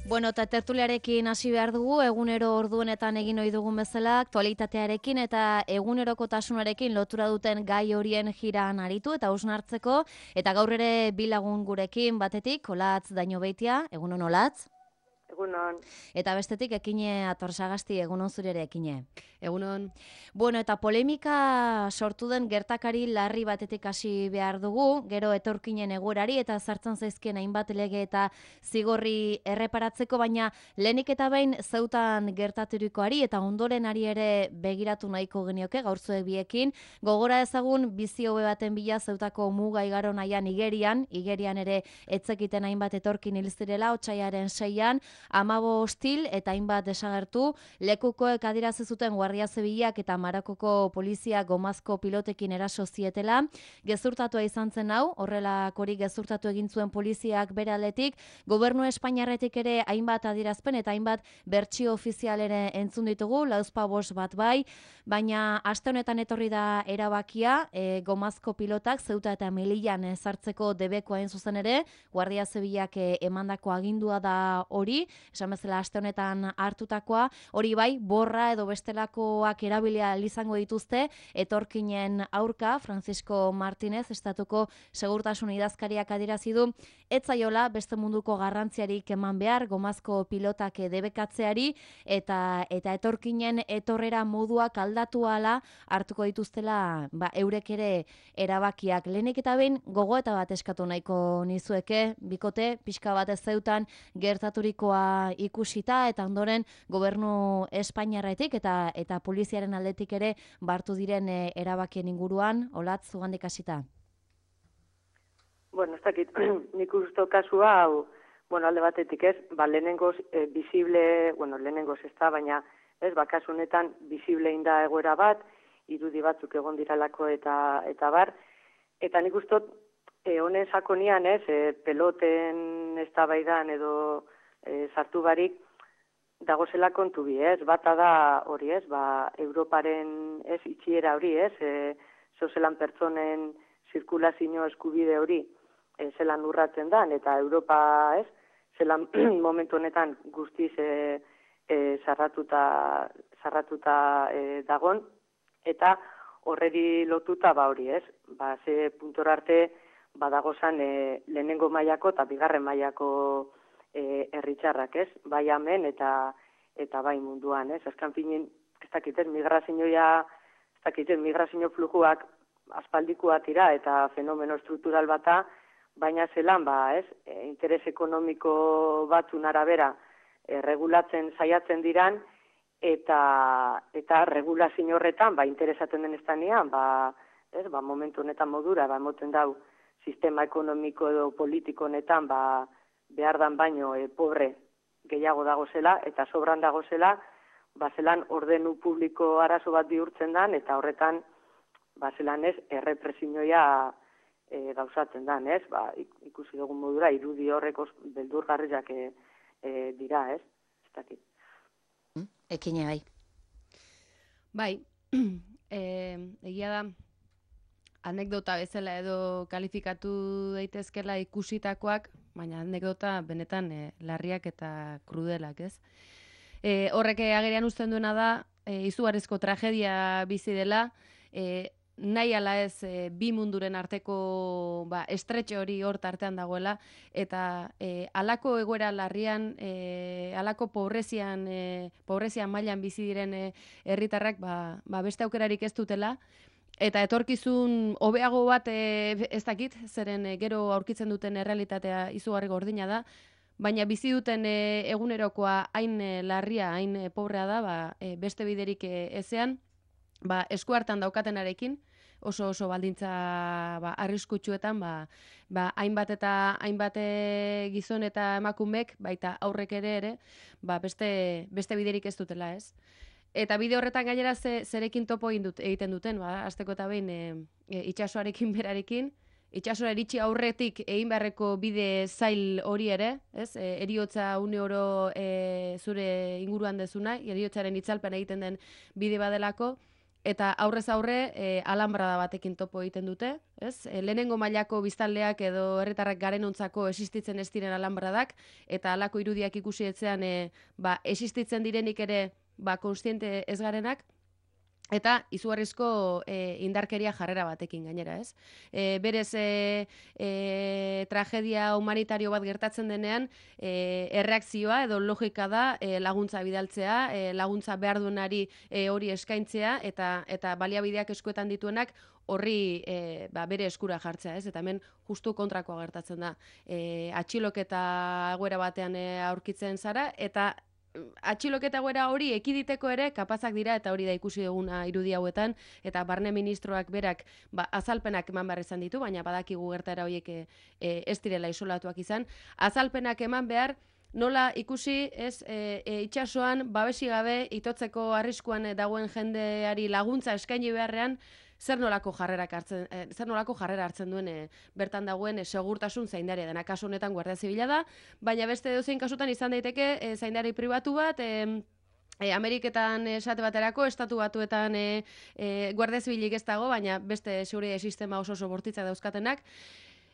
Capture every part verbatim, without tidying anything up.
Bueno, eta tertuliarekin hasi behar dugu, egunero orduenetan egin ohi dugun bezala, aktualitatearekin eta egunerokotasunarekin lotura duten gai horien jiran aritu eta hausnartzeko, eta gaur ere bi lagun gurekin batetik, Olatz Dañobeitia, egunon Olatz. Egunon. Eta bestetik Ekine Atorsagasti, egunon zure ere Ekine. Egunon. Bueno, eta polemika sortu den gertakari larri batetik hasi behar dugu, gero etorkinen egoerari eta sartzen zaizkien hainbat lege eta zigorri erreparatzeko, baina lehenik eta behin zeutan gertaturikoari eta ondoren ari ere begiratu nahiko genioke gaurzuek biekin. Gogora ezagun bizi hobe baten bila zeutako muga igaro nahian Igerian, Igerian ere etzekiten hainbat etorkin hil zirela otsaiaren seian, amabo hostil eta hainbat desagertu, lekukoek adierazi zuten Guardia Zibilak eta Marokoko polizia gomazko pilotekin eraso zietela. Gezurtatua izan zen hau, horrelakorik gezurtatu egin zuen poliziak bere aldetik, gobernu Espainiarretik ere hainbat adierazpen eta hainbat bertsio ofizial ere entzun ditugu, lauzpa bost bat bai, baina aste honetan etorri da erabakia, e, gomazko pilotak Zeuta eta Melillan sartzeko debekoa hain zuzen ere, Guardia Zibilak e, emandako agindua da hori, esan bezala aste honetan hartutakoa, hori bai, borra edo bestelakoak erabilia izango dituzte, etorkinen aurka, Francisco Martínez, estatuko segurtasun idazkariak adierazi du, ez zaiola beste munduko garrantziarik eman behar, gomazko pilotak debekatzeari, eta eta etorkinen etorrera moduak aldatu ala hartuko dituztela, ba, eurek ere erabakiak. Lehenik eta behin gogo eta bat eskatu nahiko nizueke, bikote, pixka bat ez zeutan gertaturikoa ikusita eta ondoren gobernu Espainiarretik eta eta poliziaren aldetik ere bartu diren e, erabakien inguruan, Olatz, zugandik hasita. Bueno, ez dakit, nik usto kasua, hau, bueno, alde batetik ez, ba, lehenengoz, e, visible, bueno, lehenengoz ez da, baina, ez, ba, kasu honetan, visible inda egoera bat, irudi batzuk egon diralako eta eta bar, eta nik ustot, e, honen sakonian, ez, e, peloten eztabaidan edo e, sartu barik, dagozela kontu bi, ez, bata da hori, ez, ba, Europaren, ez, itxiera hori, ez, e, zozelan pertsonen zirkulazio eskubide hori, e, zelan urratzen dan, eta Europa, ez, zelan momentu honetan guztiz e, e, zarratuta, zarratuta e, dagon, eta horreri lotuta ba hori, ez, ba, ze puntora arte, badagozan e, lehenengo mailako eta bigarren mailako e, herritxarrak, ez, bai hemen eta eta bai munduan, ez, azkan finin, ez dakiten, migrazioa, ez dakiten, migrazio flujuak aspaldikoa tira eta fenomeno struktural bata, baina zelan, ba, ez, e, interes ekonomiko batzun arabera e, regulatzen saiatzen diran, eta eta regulazio horretan, ba, interesatzen den estanean, ba, ez, ba, momentu honetan modura, ba, emoten dau, sistema ekonomiko edo politiko honetan, ba, behar dan baino e, pobre gehiago dagozela, eta sobran dagozela, ba, zelan ordenu publiko arazo bat bihurtzen dan, eta horretan, ba, zelan ez, errepresioia e, gauzatzen dan, ez, ba, ikusi dugun modura, irudi horreko beldurgarriak e, e, dira, ez, ez dakit. Ekine bai. Bai, e, egia da, anekdota bezala edo kalifikatu daitezkela ikusitakoak, baina anekdota benetan e, larriak eta krudelak, ez? E, horrek agerian uzten duena da, e, izugarrizko tragedia bizi dela, e, nahi ala ez e, bi munduren arteko ba, estretxe hori hor tartean dagoela, eta e, alako egoera larrian, e, alako pobrezian, e, pobrezian mailan bizi diren e, herritarrak ba, ba, beste aukerarik ez dutela, eta etorkizun hobeago bat e, ez dakit, zeren e, gero aurkitzen duten errealitatea izugarri gordina da, baina bizi duten e, egunerokoa hain e, larria, hain e, pobrea da, ba, e, beste biderik e, ezean, ba, esku hartan daukatenarekin, oso oso baldintza ba, arriskutsuetan, ba, ba, hainbat eta hainbat gizon eta emakumek, baita aurrek ere ere, ba, beste, beste biderik ez dutela, ez? Eta bide horretan gainera ze, zerekin topo dut, egiten duten, ba, azteko eta behin e, e, itxasoarekin berarekin, itxasora iritsi aurretik egin beharreko bide zail hori ere, ez? E, eriotza une oro e, zure inguruan dezuna, eriotzaren itzalpen egiten den bide badelako, eta aurrez aurre e, alambrada batekin topo egiten dute, ez? E, lehenengo mailako biztanleak edo herritarrak garenontzako existitzen ez diren alambradak, eta halako irudiak ikusi etzean e, ba, existitzen direnik ere ba, konstiente ez garenak, eta izugarrizko e, indarkeria jarrera batekin gainera, ez? E, berez, e, e, tragedia humanitario bat gertatzen denean, e, erreakzioa edo logika da e, laguntza bidaltzea, e, laguntza behar duenari e, hori eskaintzea, eta eta baliabideak eskuetan dituenak horri e, ba, bere eskura jartzea, ez? Eta hemen justu kontrakoa gertatzen da. E, atxiloketa egoera batean e, aurkitzen zara, eta atxiloketa egoera hori ekiditeko ere kapazak dira, eta hori da ikusi duguna irudi hauetan, eta barne ministroak berak ba, azalpenak eman behar izan ditu, baina badakigu gertaera horiek e, e, ez direla isolatuak izan, azalpenak eman behar, nola ikusi ez e, e, itxasoan babesi gabe itotzeko arriskuan dagoen jendeari laguntza eskaini beharrean, zer nolako jarrerak hartzen, eh, zer nolako jarrera hartzen duen eh, bertan dagoen eh, segurtasun zaindaria dena. Kasu honetan Guardia Zibila da, baina beste edozein kasutan izan daiteke eh, zaindari pribatu bat, eh, E, Ameriketan esate baterako, estatu batuetan e, e, Guardia Zibilik ez dago, baina beste seguridade sistema oso oso bortitzak dauzkatenak.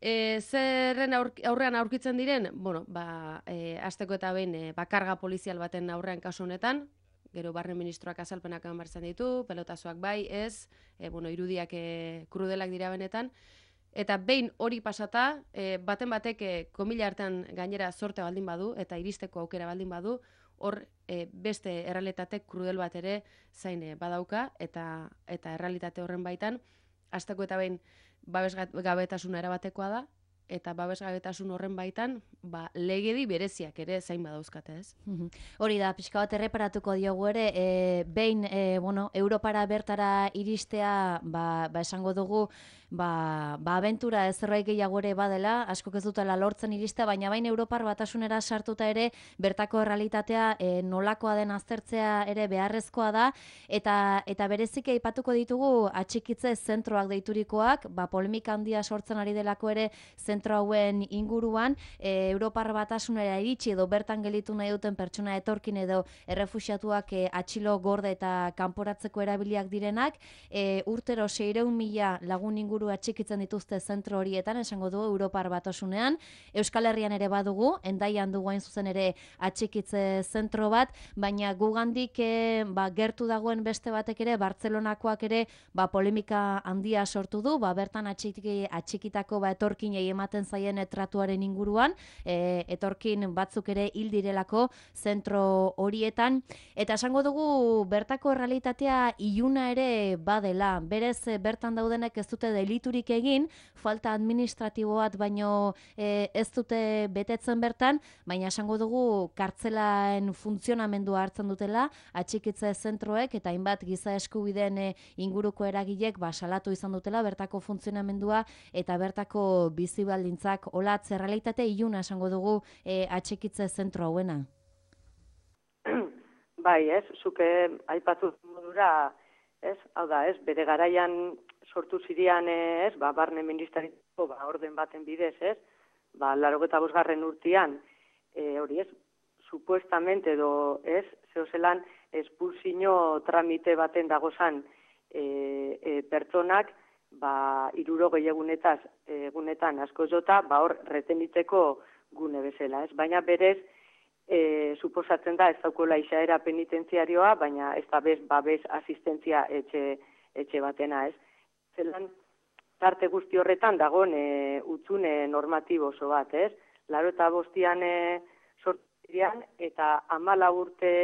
E, zerren aur, aurrean aurkitzen diren? Bueno, ba, e, azteko eta behin e, bakarga polizial baten aurrean kasu honetan, gero barne ministroak azalpenak eman behar izan ditu, pelotazoak bai, ez, e, bueno, irudiak e, krudelak dira benetan, eta behin hori pasata, e, baten batek e, komila artean gainera zorte baldin badu, eta iristeko aukera baldin badu, hor e, beste errealitate krudel bat ere zain e, badauka, eta eta errealitate horren baitan, hasteko eta behin babesgabetasuna erabatekoa da, eta babesgabetasun horren baitan, ba, legedi bereziak ere zain badauzkate, ez? Hori da, pixka bat erreparatuko diogu ere, e, behin, e, bueno, Europara bertara iristea, ba, ba esango dugu, ba, ba abentura ezerrait gehiago ere badela, askok ez dutela lortzen iristea, baina bain Europar batasunera sartuta ere, bertako errealitatea e, nolakoa den aztertzea ere beharrezkoa da, eta eta berezik aipatuko ditugu atxikitze zentroak deiturikoak, ba polemika handia sortzen ari delako ere zentro hauen inguruan, e, Europar batasunera iritsi edo bertan gelitu nahi duten pertsona etorkin edo errefuxiatuak e, atxilo gorde eta kanporatzeko erabiliak direnak, e, urtero seiehun mila lagun inguru atxikitzen dituzte zentro horietan, esango dugu Europar batasunean, Euskal Herrian ere badugu, Hendaian dugu hain zuzen ere atxikitze zentro bat, baina gugandik e, ba, gertu dagoen beste batek ere, Bartzelonakoak ere ba, polemika handia sortu du, ba, bertan atxiki, atxikitako ba, etorkinei ematen zaien tratuaren inguruan, e, etorkin batzuk ere hil direlako zentro horietan, eta esango dugu bertako errealitatea iluna ere badela, berez bertan daudenek ez dute deliturik egin, falta administratibo bat baino e, ez dute betetzen bertan, baina esango dugu kartzelaen funtzionamendua hartzen dutela, atxikitze zentroek eta hainbat giza eskubideen e, inguruko eragilek ba, salatu izan dutela bertako funtzionamendua eta bertako bizi baldintzak olatz errealitate iluna esango dugu e, atxikitze zentro hauena. Bai, ez, zuke aipatu modura, ez, hau da, ez, bere garaian sortu zirian, ez, ba, barne ministeritako, ba, orden baten bidez, ez, ba, larogeta bosgarren urtean, e, hori ez, supuestamente edo, ez, zehozelan, espulsio tramite baten dagozan e, e, pertsonak, ba, iruro gehiagunetaz, egunetan asko jota, ba, hor, retenitzeko gune bezala, ez, baina berez, E, suposatzen da ez daukola izaera penitentziarioa, baina ez da bez babes asistentzia etxe, etxe batena, ez. Zelan, tarte guzti horretan dagoen e, utzune normatibo oso bat, ez. Laro eta bostian e, sortirian, eta amala urte,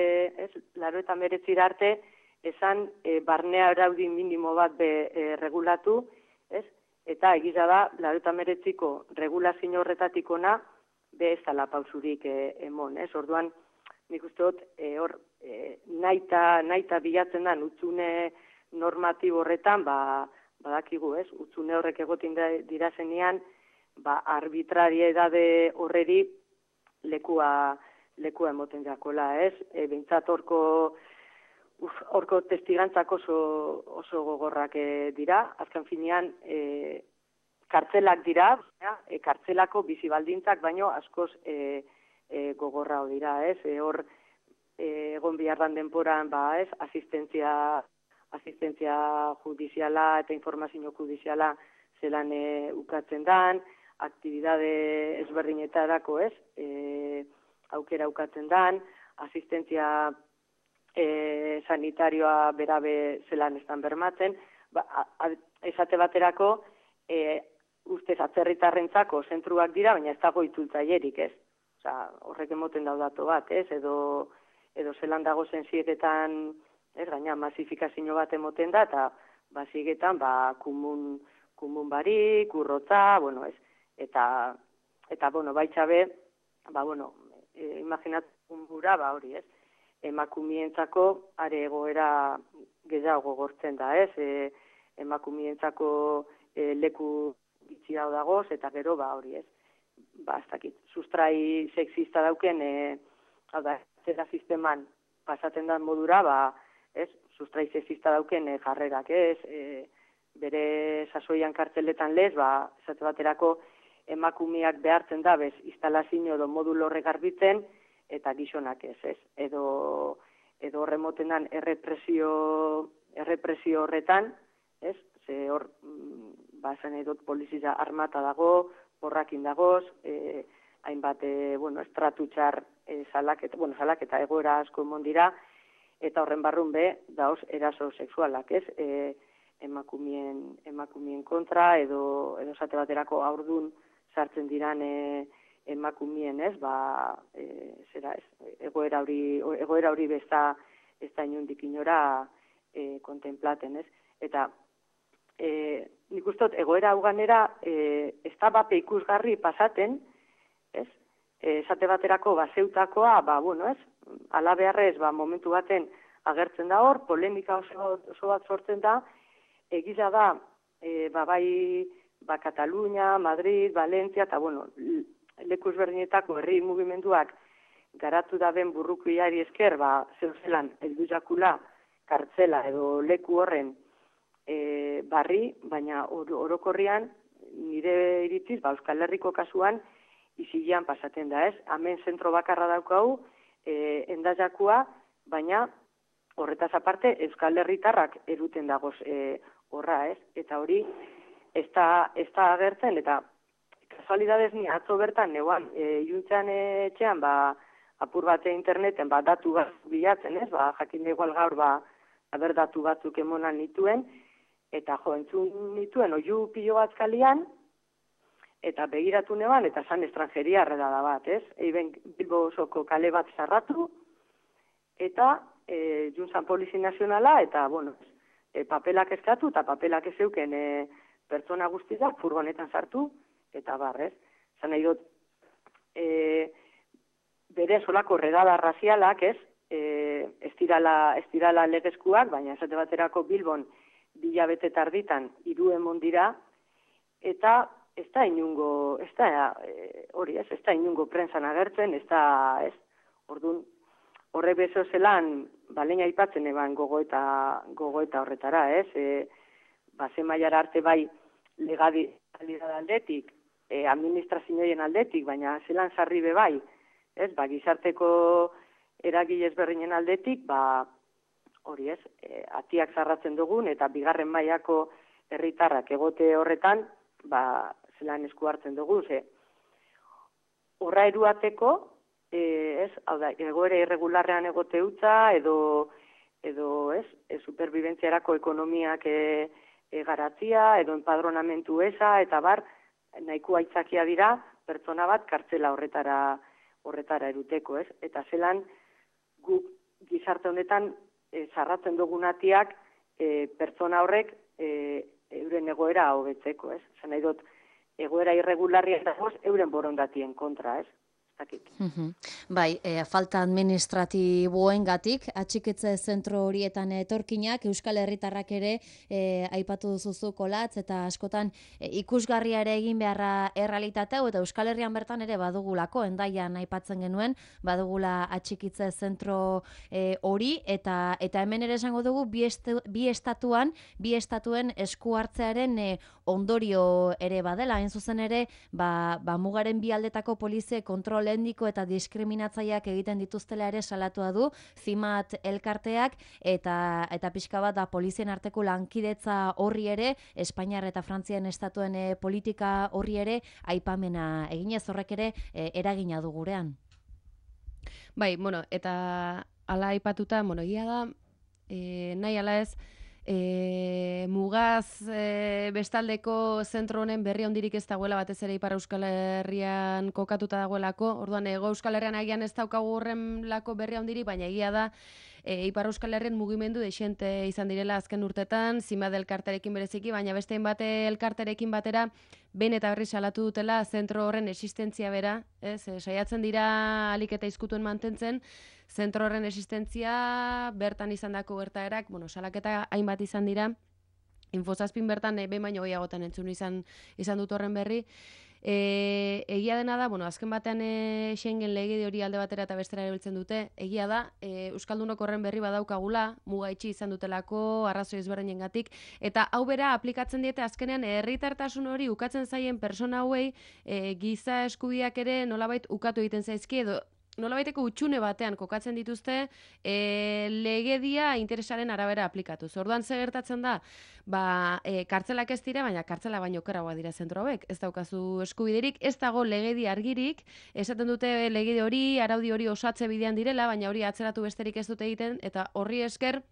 ez, laro eta meretzira arte, esan e, barnea araudi minimo bat be e, regulatu, ez, eta egiza da, laro eta meretziko regulazio horretatik ona, be ez dala pausurik e, emon, ez? Orduan, nik uste dut, e, hor, e, naita, naita bilatzen da, utzune normatibo horretan, ba, badakigu, ez? Utzune horrek egotin dira zenean, ba, arbitrariedade horreri lekua, lekua emoten jakola, ez? E, Behintzat horko, uf, horko testigantzak oso, oso gogorrak e, dira, azken finean, e, kartzelak dira, e, kartzelako bizi baldintzak baino askoz e, e, gogorrao dira, ez? E, hor e, egon biharran denporan, ba, ez, asistentzia asistentzia judiziala eta informazio judiziala zelan e, ukatzen dan, aktibidade ezberdinetarako, ez, e, aukera ukatzen dan, asistentzia e, sanitarioa berabe zelan estan bermatzen, ba, a, a, esate baterako, e, ustez atzerritarrentzako zentruak dira, baina ez dago itzultzailerik, ez? Osa, horrek emoten daudatu bat, ez? Edo, edo zelan dago zensietetan, ez, gaina masifikazio bat emoten da, eta basiegetan, ba, kumun, kumun barik, urrotza, bueno, ez? Eta, eta bueno, baitxabe, ba, bueno, e, imaginatzen gura, ba, hori, ez? Emakumientzako are egoera gehiago gogortzen da, ez? E, emakumientzako e, leku bitxi hau dagoz, eta gero, ba, hori, ez? Ba, ez dakit, sustrai sexista dauken, e, hau da, zera sisteman pasaten dan modura, ba, ez? Sustrai sexista dauken e, jarrerak, ez? E, bere sasoian kartzeletan lez, ba, esate baterako emakumeak behartzen da, bez, instalazio edo modulo horrek garbitzen, eta gizonak ez, ez? Edo, edo horremoten errepresio, errepresio horretan, ez? Ze hor, ba, esan edot polizia armata dago, porrakin dagoz, e, hainbat, e, bueno, estratutxar e, salaketa, bueno, salaketa egoera asko emon dira, eta horren barrun be, daoz eraso sexualak, ez? E, emakumien, emakumien kontra, edo, edo esate baterako aurdun sartzen diran e, emakumien, ez? Ba, e, zera, ez? Egoera hori, egoera hori besta, ez da inundik inora e, kontemplaten, ez? Eta, e, nik ustot, egoera hau ganera, e, ez da bape ikusgarri pasaten, ez? E, esate baterako, ba, zeutakoa, ba, bueno, ez? Ala beharrez, ba, momentu baten agertzen da hor, polemika oso, oso bat sortzen da, egiza da, e, ba, bai, ba, Katalunia, Madrid, Valencia, eta, bueno, leku ezberdinetako herri mugimenduak garatu da ben burrukuiari esker, ba, zeuzelan, heldu jakula, kartzela edo leku horren e, barri, baina or, orokorrian, nire iritziz, ba, Euskal Herriko kasuan, izilean pasaten da, ez? Hemen zentro bakarra daukau, e, endajakua, baina horretaz aparte, Euskal Herritarrak eruten dagoz e, horra, ez? Eta hori, ez da, ez da agertzen, eta kasualidadez ni atzo bertan, neuan, e, juntzen etxean, ba, apur bate interneten, ba, datu bat bilatzen, ez? Ba, jakin igual gaur, ba, haber datu batzuk emonan nituen, eta jo, entzun nituen, oiu pilo bat kalian, eta begiratu neban, eta zan estrangeria arredada bat, ez? Eiben Bilbo osoko kale bat zarratu, eta e, juntzan polizi nazionala, eta, bueno, e, papelak eskatu, eta papelak ez zeuken e, pertsona guztiak furgonetan sartu, eta barrez. Zan nahi dut, e, bere solako redada razialak, ez? E, ez dirala, ez dirala legezkuak, baina esate baterako Bilbon bilabete tarditan hiru emon dira, eta ez da inungo, ez da, e, hori ez, ez da inungo prensan agertzen, ez da, ez, orduan, horre bezo zelan, baleina aipatzen eban gogoeta, gogoeta horretara, ez, e, base mailara arte bai legalidad aldetik, e, administrazioen aldetik, baina zelan sarri be bai, ez, ba, gizarteko eragile ezberdinen aldetik, ba, hori ez, e, atiak zarratzen dugun, eta bigarren mailako herritarrak egote horretan, ba, zelan esku hartzen dugu, ze, horra eruateko, e, ez, hau da, egoera irregularrean egote utza, edo, edo, ez, e, superbibentziarako ekonomiak e, e, garatzia, edo enpadronamentu eza, eta bar, nahiko aitzakia dira, pertsona bat kartzela horretara, horretara eruteko, ez, eta zelan, guk gizarte honetan, e, zarratzen dugunatiak, e, pertsona horrek, e, euren egoera hobetzeko, ez? Zan nahi dut, egoera irregularria dagoz, euren borondatien kontra, ez? Zakit. Uh-huh. Bai, e, falta administratiboengatik atxiketze zentro horietan etorkinak, Euskal Herritarrak ere e, aipatu duzuzu Kolatz, eta askotan e, ikusgarria ere egin beharra errealitatea, eta Euskal Herrian bertan ere badugulako, Hendaian aipatzen genuen, badugula atxikitze zentro e, hori, eta eta hemen ere esango dugu bi, estu, bi estatuan, bi estatuen esku hartzearen e, ondorio ere badela, hain zuzen ere, ba, ba mugaren bi aldetako polizie kontrol biolendiko eta diskriminatzaileak egiten dituztela ere salatua du Zimat elkarteak, eta eta pixka bat da polizien arteko lankidetza horri ere, Espainiar eta Frantzian estatuen e, politika horri ere aipamena eginez, horrek ere e, eragina du gurean. Bai, bueno, eta ala aipatuta, bueno, egia da, e, nahi ala ez, e, mugaz e, bestaldeko zentro honen berri handirik ez dagoela, batez ere Ipar Euskal Herrian kokatuta dagoelako, orduan Hego Euskal Herrian agian ez daukagu horrenlako berri handirik, baina egia da, E, Ipar Euskal Herrian mugimendu dexente izan direla azken urtetan, Zimat elkarterekin bereziki, baina beste bate elkarterekin batera, behin eta berri salatu dutela zentro horren existentzia bera, ez? E, saiatzen dira alik eta izkutuen mantentzen, zentro horren existentzia bertan izandako gertaerak, bueno, salaketa hainbat izan dira, Infozazpin bertan e, behin baino gehiagotan entzun izan, izan dut horren berri. E, egia dena da, bueno, azken batean e, Schengen legedi hori alde batera eta bestera erabiltzen dute, egia da, e, Euskaldunok horren berri badaukagula, muga itxi izan dutelako, arrazoi ezberdinengatik, eta hau bera aplikatzen diete azkenean herritartasun hori ukatzen zaien persona hauei e, giza eskubiak ere nolabait ukatu egiten zaizki, edo nolabaiteko utxune batean kokatzen dituzte e, legedia interesaren arabera aplikatuz. Orduan ze gertatzen da, ba, e, kartzelak ez dira, baina kartzela baino okerragoa dira zentro hauek. Ez daukazu eskubiderik, ez dago legedi argirik, esaten dute legedi hori, araudi hori osatze bidean direla, baina hori atzeratu besterik ez dute egiten, eta horri esker,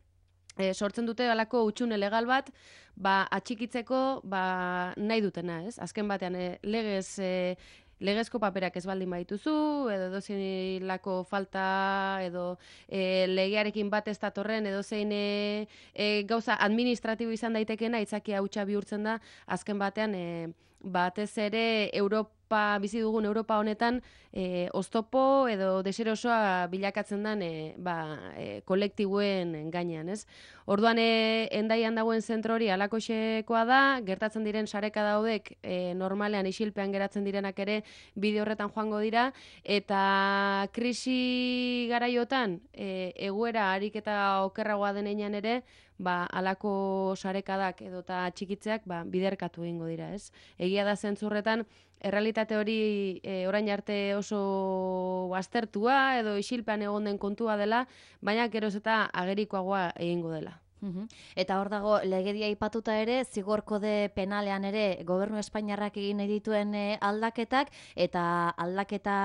E, sortzen dute halako utxune legal bat, ba, atxikitzeko ba, nahi dutena, ez? Azken batean, e, legez... E, legezko paperak ez baldin baituzu, edo edozein lako falta, edo e, legearekin bat ez datorren, edozein e, e, gauza administratibo izan daitekena, aitzakia hutsa bihurtzen da, azken batean, e, batez ere Europa, bizi dugun Europa honetan, e, oztopo edo deserosoa bilakatzen den e, ba, e, kolektibuen gainean, ez? Orduan, e, Hendaian dagoen zentro hori halakoxekoa da, gertatzen diren sareka daudek e, normalean isilpean geratzen direnak ere bide horretan joango dira, eta krisi garaiotan e, egoera harik eta okerragoa denean ere, ba, alako sarekadak edota txikitzeak ba, biderkatu egingo dira, ez? Egia da zentzurretan, errealitate hori e, orain arte oso aztertua edo isilpean egon den kontua dela, baina geroz eta agerikoagoa egingo dela. Uhum. Eta hor dago legedia aipatuta ere, zigor kode penalean ere gobernu espainiarrak egin dituen e, aldaketak, eta aldaketa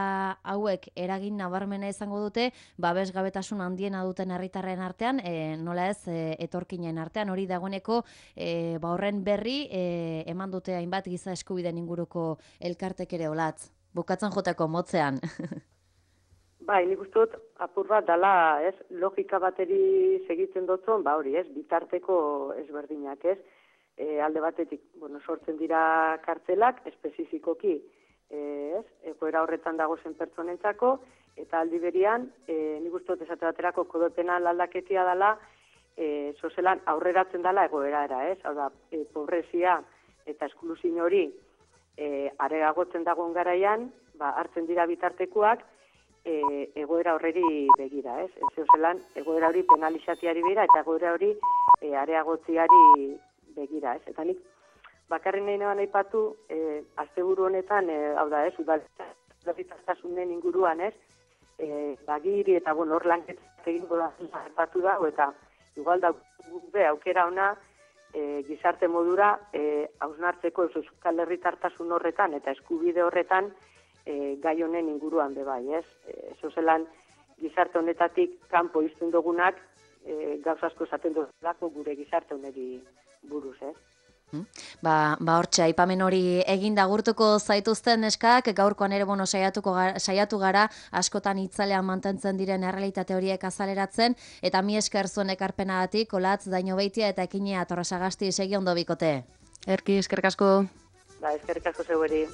hauek eragin nabarmena izango dute, babesgabetasun handiena duten herritarren artean, e, nola ez e, etorkinen artean, hori dagoeneko e, ba horren berri e, eman dute hainbat giza eskubideen inguruko elkartek ere olatz. Bukatzen joteko motzean. Bai, nik uste dut apur bat dala, ez, logika bateri segitzen dutzen, ba hori, ez, bitarteko ezberdinak, ez, e, alde batetik, bueno, sortzen dira kartzelak, espezifikoki, e, ez, egoera horretan dago zen pertsonentzako, eta aldi berian, e, nik uste dut esate baterako kode penal aldaketia dala, e, sozelan aurreratzen dala egoerara, ez, hau da, e, pobrezia eta esklusio hori e, areagotzen dagoen garaian, ba, hartzen dira bitartekoak, E, egoera horreri begira, ez? Ez zelan, egoera hori penalizatiari begira eta egoera hori e, areagotziari begira, ez? Eta nik bakarren nahi nahi aipatu, e, asteburu honetan, e, hau da, ez? Udalitasunaren inguruan, ez? E, bagiri eta, bueno, hor lanketak egingo da, aipatu da, eta igual da, be, aukera ona, e, gizarte modura, e, hausnartzeko euskal herritartasun horretan eta eskubide horretan, E, gai honen inguruan be bai, ez? E, Zozelan gizarte honetatik kanpo izten dugunak e, gauza asko esaten duzulako gure gizarte honeri buruz, ez? Ba, ba hortxe, aipamen hori egin da gurtuko zaituzten neskak, gaurkoan ere bueno, saiatuko gara, saiatu gara askotan itzalean mantentzen diren errealitate horiek azaleratzen, eta mi esker zuen ekarpenagatik, Olatz, Daño Beitia eta Ekinea Torresagasti segi ondo bikote. Erki, eskerrik asko. Ba, eskerrik asko zeueri.